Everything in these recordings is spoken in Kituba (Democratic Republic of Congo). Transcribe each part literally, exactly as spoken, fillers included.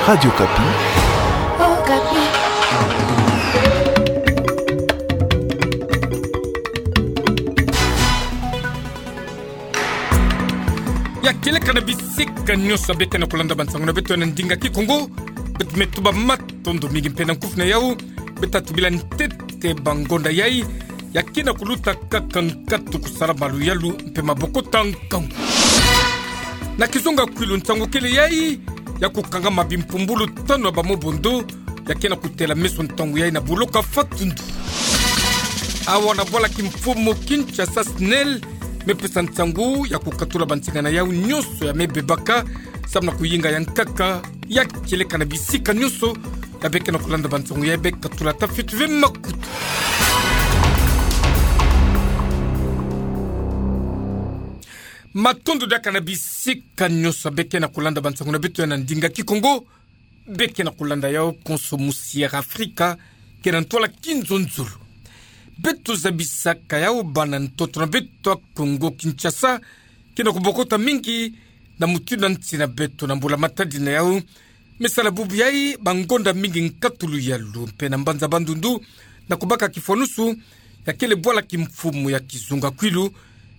Radio Okapi. Okapi. Ya kieleka na bisika nyonso ya beke na kulanda bansangu na beto na ndinga Kikongo. Beto me tuba matondo mingi mpe na nkufi na yau. Beto atu bila ntete bangonda yai ya kena kuluta kaka nkatu kusala maluyalu mpe mabokota nkangu. Na kizunga kwilu, nsangu kele yai ya kukangama bimpumbulu tanu ya bamobondo ya kena kutela meso ntangu yai na buloka fatundu. Awa na bwala kimfumu Kinshasa, SNEL me pesa nsangu ya kukatula bansinga na yau nyonso ya me bebaka samu na kuyinga ya nkaka. Ya kieleka na bisika nyonso ya beke na kulanda bansangu yai, be katula ta fioti ve makutu. Matondo diaka na bisika nyonso ya beke na kulanda bansangu na beto ya na ndinga Kikongo. Beke na kulanda yau konso musi Air Afrika, ke na ntwala kinzonzolo. Beto zabisaka yau bana ntoto na beto ya Kongo Kinshasa ke na kubokota mingi na mutindu ya nsi na beto na mbula matadi na yau. Me sala bubu yai, bangonda mingi nkatu luyalu mpe na mbanza Bandundu, na kubaka kifwanusu ya kele bwala kimfumu ya kizunga kwilu.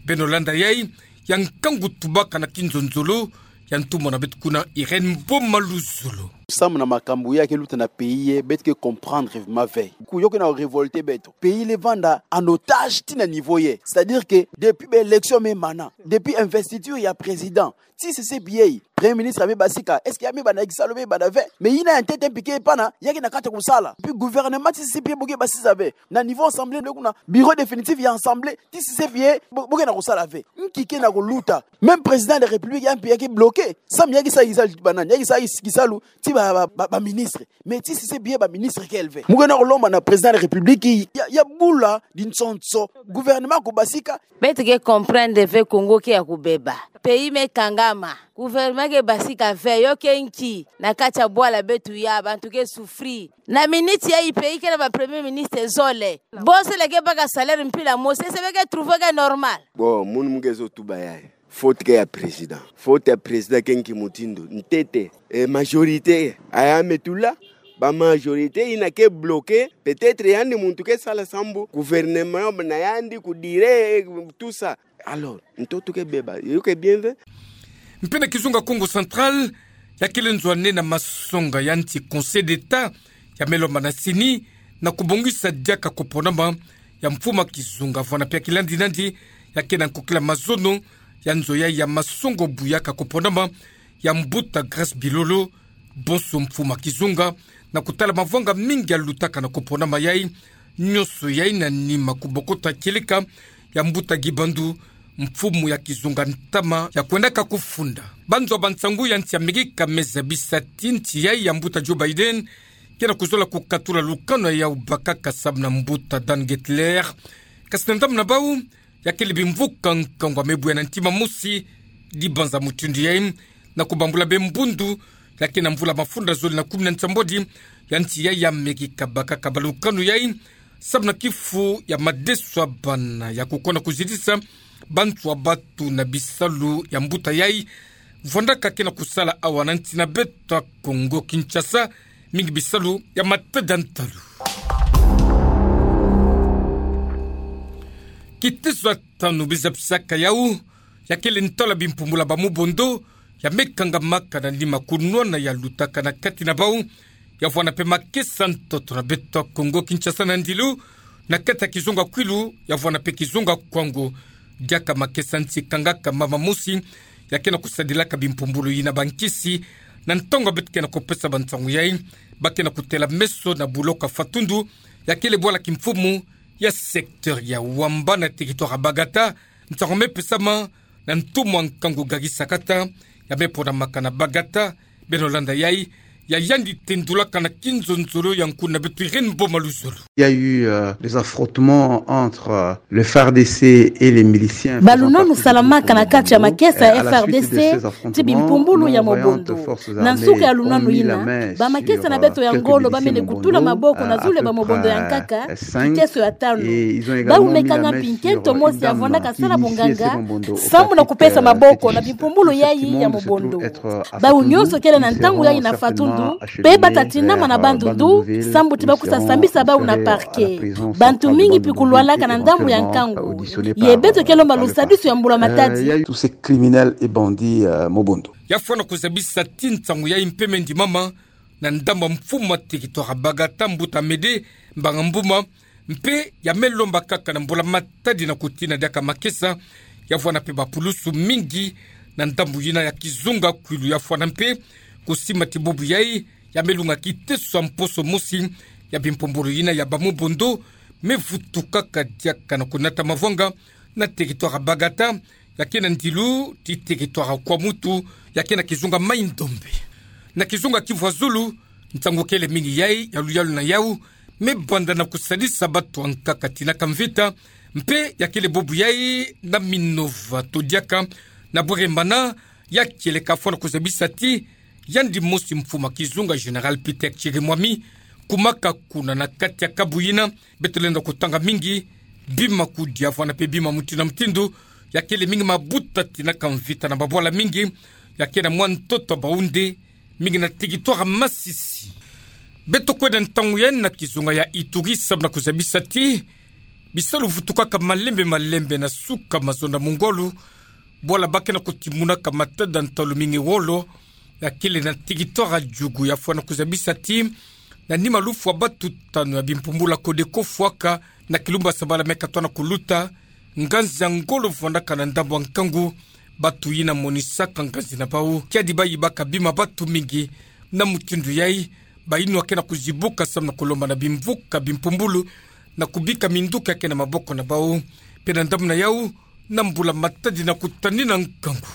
Beno landa yai ya nkangu tubaka na kinzonzolo ya ntumwa na beto kuna, Irène Mboma Luzolo. Samu na makambu ya ke luta na pays yai, beto ke comprendre vraiment ve. Ku yo ke na révolter beto. Pays le vanda en otage ti na niveau yai. C'est-à-dire que depuis ba élection me mana, depuis investiture ya président, ti sisi piei, premier ministre ya me basika, est-ce que ya me banda kisalu, me banda ve? Mais yina ya ntete mpi ke pana, ya ke na kata kusala. Puis gouvernement ti sisi piei bo ke basisa ve. Na niveau assemblée, le kuna bureau définitif ya assemblée, ti sisi piei, bo, bo ke na kusala ve. Nki ke na kuluta? Même président de la République ya mpi ya ke bloqué. Samu ya ke sa kisalu ti banani, ya ke sa kisalu ti ba, ba, ba, ba ministre. Mais ti sisi piei ba ministre kele ve. Mu ke na kulomba na président de la République ya, ya bula dinsonso gouvernement ko basika. Beto ke comprendre ve Kongo ke ya kubeba. Pays me kangama. Gouvernement ke basika ve, yo ke nki? Na kati ya bwala beto ya bantu ke souffrir. Na minute yai pays ke na ba premier ministre zole. Bo zole ke baka salaire mpila mosi, est-ce que be ke trouver ke normal? Bon, munu mu ke zo tuba yai. Faute ke ya président. Faute ya président ke nki mutindu? Ntete. E majorité. Aya me tula. Ba majorité yina ke bloqué. Peut-être yandi muntu ke sala sambu gouvernement na yandi ku dire, tout ça. Alors, ntoto ke beba, yo ke bien ve. Mpe na kizunga Kongo Central, ya kele nzwani na masonga ya nti Conseil d'État, ya me lomba na CENI, na kubongisa diaka koponama ya mfumu ya kizunga, vwanda mpe ya kilandi nandi, ya ke na nkokila mazono ya nzo yai ya masongo bu yaka koponama ya mbuta Grâce Bilolo, bonso mfumu ya kizunga, na kutala mavwanga mingi ya lutaka na koponama yai, nyonso yai na nima kubokota kieleka ya mbuta Guy Bandu, mfumu ya kizunga ntama ya kwendaka kufunda. Banzwa bansangu ya nti Amerika me zabisa ti nti yai ya mbuta Joe Biden ke na kuzola kukatula lukanu yau bakaka samu na mbuta Dan Gertler. Kasi na ndambu na bau, ya kele bimvuka nkangu ya me bwe na ntima mosi, dibanza mutindu yai, na kubambula be mbundu, ya ke na mvula mafunda zole na kumi na nsambwadi ya nti yai ya Amerika bakaka ba lukanu yai, samu na kifu ya madeso ya bana ya kukonda kuzitisa bantu ya batu na bisalu ya mbuta yai, vwandaka ke na kusala awa na nti na beto ya Kongo Kinshasa, mingi bisalu ya matadi ya ntalu. Kiteso ya tanu bi zabisaka yau, ya kele ntwala bimpumbulu ya bamobondo, ya me kangamaka na nima kunwana ya lutaka na kati na bau, ya vwanda mpe makesa ntoto na beto ya Kongo Kinshasa na ndilu, na kati ya kizunga Kwilu, ya vwanda mpe kizunga Kwango, diaka makesa nti kangaka mama mosi, ya ke na kusadilaka bimpumbulu yina bankisi, na ntangu beto ke na kupesa bansangu yai, ba ke na kutela meso na buloka fatundu, ya kele bwala kimfumu ya secteur ya Wamba na territoire ya Bagata, nsangu me pesama na ntumwa nkangu Gary Sakata, ya me ponamaka na Bagata, beno landa yai, ya yandi tendulaka na kinzonzolo ya nkuna beto Irène Mboma Luzolo. Il y a eu, euh, des affrontements entre, euh, le F A R D C et les miliciens faisant partie du groupe Komando. Balunanu salamaka na kati ya makesa ya F A R D C ti bimpumbulu ya mobondo. Na nsuka ya lunanu yina, bamakesa na beto ya ngolo bamene kutula maboko na zulu ya bamobondo ya nkaka, kiteso ya tanu. Bau me kanga mpi nkento mosi ya vwandaka sala bonganga, sambu na kupesa maboko na bimpumbulu yai ya mobondo. Bau nyonso kele na ntangu yai na fatundu. mpe bata tina mana bandudu, sambu ti bakusa sambisa bau na parquet. Bantu mingi pi kulwalaka na ndambu ya nkangu. Ye beto ke lomba lusadisu ya mbula matadi. Tous ces criminels et bandits, euh, Mobondo. Ya fwana kuzabisa ti nsangu yayi mpe me ndimama na ndambu ya mfumu wa territoire Bagata, mbuta Amédée Mbanga Mbuma, mpe ya me lomba kaka na mbula matadi na kutina diaka makesa, ya vwanda mpe bapulusu mingi na ndambu yina ya kizunga kwilu. Ya fwana mpe kusima ti bubu yayi ya me lunga kiteso ya mposo mosi ya bimpumbulu yina ya ba Mobondo me vutukaka diaka na kunata mavwanga na territoire Bagata, ya ke na ndilu ti territoire Kwamouth, ya ke na kizunga Maï-Ndombe. Na kizunga Kivu ya Zulu, nsangu kele mingi yayi ya luyalu na yau me banda na kusadisa batu ya nkaka tina ka mvita, mpe ya kele bubu yayi na Minova to diaka na Bweremana, ya kieleka fwana kuzabisa ti yandi mosi mfumu wa kizunga Général Peter Chirimwami kumaka kuna na kati ya kabu yina. Beto lenda kutanga mingi bima kudia vwanda mpe bima mutindu na mutindu, ya kele mingi mabuta tina ka mvita na babwala mingi, ya ke na mwa ntoto ya bawu nde mingi na territoire Masisi. Beto kwenda ntangu yayi na kizunga ya Ituri, samu na kuzabisa ti bisalu vutukaka malembe malembe na suka mazono ya mungwalu, bwala ba ke na kutimunaka matada ntalu mingi wolo, ya kele na territoire ya Djugu. Ya fwana kuzabisa ti na nima lufwa batu tanu ya bimpumbulu ya Codeco fwaka na kilumbu ya sabala me katoa na kuluta, nganzi ya ngolo vwandaka na ndambu ya nkangu, batu yina monisaka nganzi na bau, kiadi bayibaka bima batu mingi. Na mutindu yayi, bayinwa ke na kuzibuka samu na kulomba na bimvuka bimpumbulu na kubika minduki ya ke na maboko na bau. Mpe na ndambu na yau, na mbula matadi na kutanina nkangu.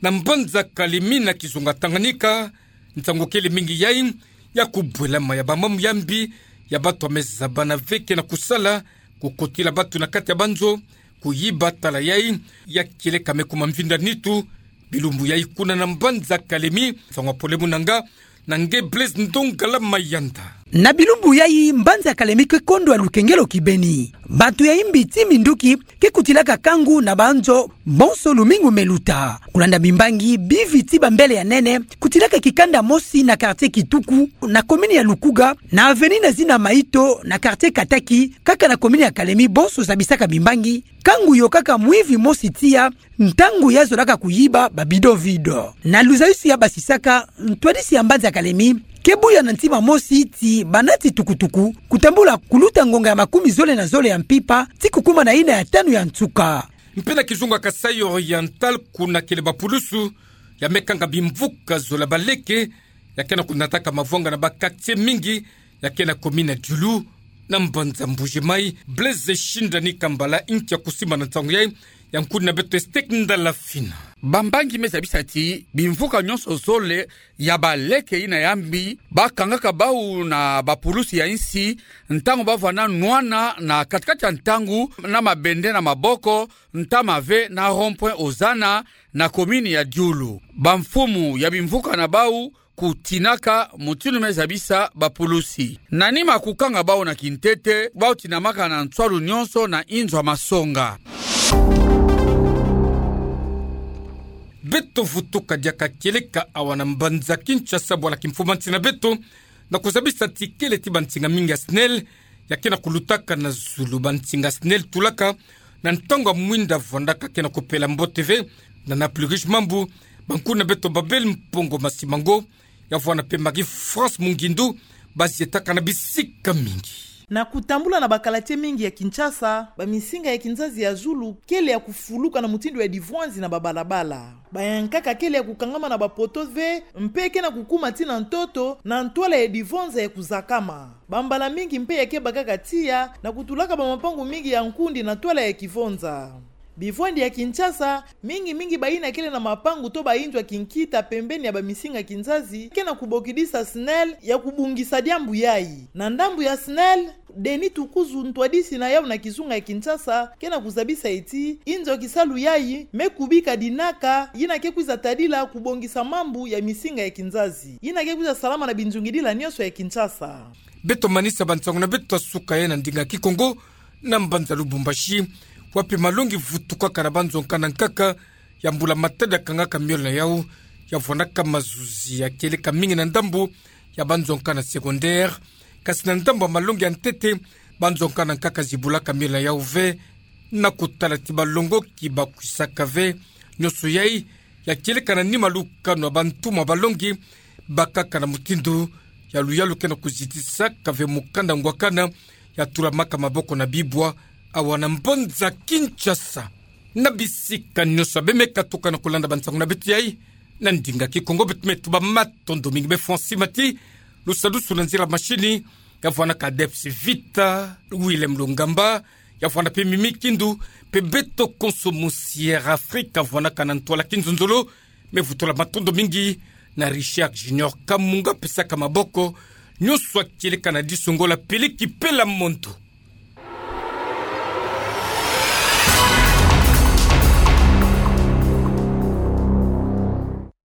Na mbanza Kalemi na kizunga Tanganyika, nsangu kele mingi yayi ya kubwelama ya bamambu ya mbi ya batu ya me zabana ve ke na kusala, kukotila batu na kati ya banzo, kuyiba. Tala yayi ya kieleka me kuma mvinda nitu bilumbu yayi kuna na mbanza Kalemi. Nsangu ya pole mu na nga, na nge Blaise Ndongala Mayanda. Na bilumbu yayi mbanza Kalemi ke kondwa lukengelo kibeni. Batu ya imbi ti minduki ke kutilaka kangu na banzo bonso lumingu me luta. Kulanda bimbangi bivi ti bambele ya nene, kutilaka kikanda mosi na quartier Kituku, na commune ya Lukuga, na avenue na zina Maito, na quartier Kataki, kaka na commune ya Kalemi, bonso zabisaka bimbangi. Kangu yokaka mwivi mosi tiya, ntangu ya zolaka kuyiba ba bidon-vidon. Na luzayusu ya basisaka, ntwadisi ya mbanza Kalemi ke buya na ntima mosi ti banati tukutuku kutambula kuluta ngonga ya makumi zole na zole ya mpimpa ti kukuma na yina ya tanu ya nsuka. Mpe na kizunga Kasaï Oriental, kuna kele bapulusu ya me kanga bimvuka zola baleke ya ke na kunataka mavwanga na ba quartier mingi ya ke na commune ya Diulu, na mbanza Mbuji-Mayi. Blaise Shindani Kambala, inki ya kusimba na nsangu yayi, ya nkuni na beto Estek Ndala Fina. Bambangi me zabisa ti bimvuka nyonso zole ya baleke yina ya mbi, bakangaka bau na bapulusu ya insi, ntangu bavanda nwana na kati-kati ya ntangu na mabende na maboko, ntama ve na rond-point Ozana, na commune ya Diulu. Bamfumu ya bimvuka na bau kutinaka mutindu me zabisa bapulusu. Na nima kukanga bau na kintete, bau tinamaka na nswalu nyonso na inzo ya masonga. Beto vutuka diaka kieleka awa na mbanza Kinshasa, bwala kimfumanti na beto, na kuzabisa ti kele ti bansinga mingi ya SNEL ya ke na kulutaka na zulu. Bansinga SNEL tulaka na ntangu ya mwinda vwandaka ke na kupela mbote ve. Na, na plus riche mambu, bankuni na beto Babel Mpongo Masimango, ya vwanda mpe Marie-France Mungindu, bazietaka na bisika mingi. Na kutambula na ba quartier mingi ya Kinshasa, bamisinga ya kinzazi ya zulu kele ya kufuluka na mutindu ya divwanzi na babalabala. Bayankaka kele ya kukangama na ba poteaux ve, mpe ke na kukuma tii na ntoto, na ntwala ya divwanza ya kuzakama. Bambala mingi mpe ya ke bakaka tiya, na kutulaka bamapangu mingi ya nkundi na ntwala ya kivwanza. Bivwandi ya Kinshasa, mingi mingi bayina kele na mapangu to bainzo ya kinkita pembeni ya bamisinga kinzazi, ke na kubokidisa SNEL ya kubongisa diambu yayi. Na ndambu ya SNEL, Denis Tukuzu, ntwadisi na yau na kizunga ya Kinshasa, ke na kuzabisa ti inzo ya kisalu yayi me kubika dinaka yina ke kwiza tadila kubongisa mambu ya misinga ya kinzazi yina ke kwiza salama na binzungidila nyonso ya Kinshasa. Beto manisa bansangu na beto ya suka yayi na ndinga Kikongo na mbanza Lubumbashi, wapi malongi vutukaka na banzo nkaka na nkaka ya mbula matadi ya kangaka miole na yau, ya vwandaka mazuzi ya kieleka mingi na ndambu ya banzonka na secondaire. Kasi na ndambo ya malongi ya ntete, banzonka na nkaka zibulaka mila yau ve, na kutala ti balongoki bakwisaka ve, nionso yai ya kieleka na ni malukanu ya bantu ma balongi, bakaka na mutindu ya luyalu ke na kuzitisaka ve mukanda ngwakana ya tulamaka maboko na bibwa awa na mbanza Kinshasa. Na bisika nionso ya bemeka tuka na kulanda bansangu na beto yai na ndinga Kikongo, beto me tuba matondo mingi. Be Francis Mati, lusadusu na nzila mashini, ya vwanaka Debs Vita, Willem Lungamba, ya vwana pe Mimi Kindu, pe beto konso mu Sierra Afrika vwanaka na ntwala kinzonzolo, me vutula matondo mingi na Richard Junior Kamunga pesaka maboko, nionso ya kieleka na diso ngolo ya peleki pela mondo.